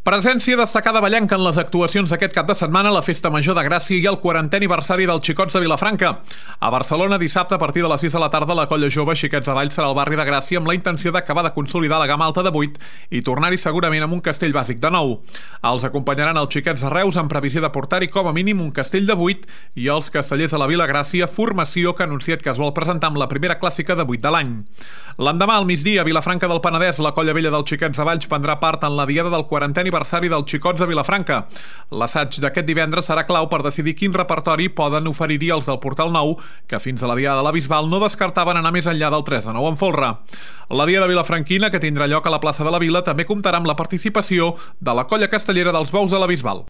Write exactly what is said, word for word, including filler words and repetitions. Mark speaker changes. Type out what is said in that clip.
Speaker 1: Presència destacada ballenca en les actuacions d'aquest cap de setmana a la Festa Major de Gràcia i el quarantè aniversari dels Xicots de Vilafranca. A Barcelona, dissabte, a partir de les sis de la tarda, la colla jove Xiquets de Valls serà al barri de Gràcia amb la intenció d'acabar de consolidar la gamma alta de vuit i tornar-hi segurament amb un castell bàsic de nou. Els acompanyaran els Xiquets de Reus amb previsió de portar-hi com a mínim un castell de vuit i els castellers a la Vila Gràcia, formació que ha anunciat que es vol presentar amb la primera clàssica de vuit de l'any. L'endemà, al migdia, a Vilafranca del Penedès, la colla vella dels Xiquets de Valls prendrà part en la diada del quarantè aniversari dels Xicots de Vilafranca. L'assaig d'aquest divendres serà clau per decidir quin repertori poden oferir-hi els del Portal Nou, que fins a la diada de la Bisbal no descartaven anar més enllà del tres de nou en folre. La diada vilafranquina, que tindrà lloc a la plaça de la Vila, també comptarà amb la participació de la colla castellera dels Bous de la Bisbal.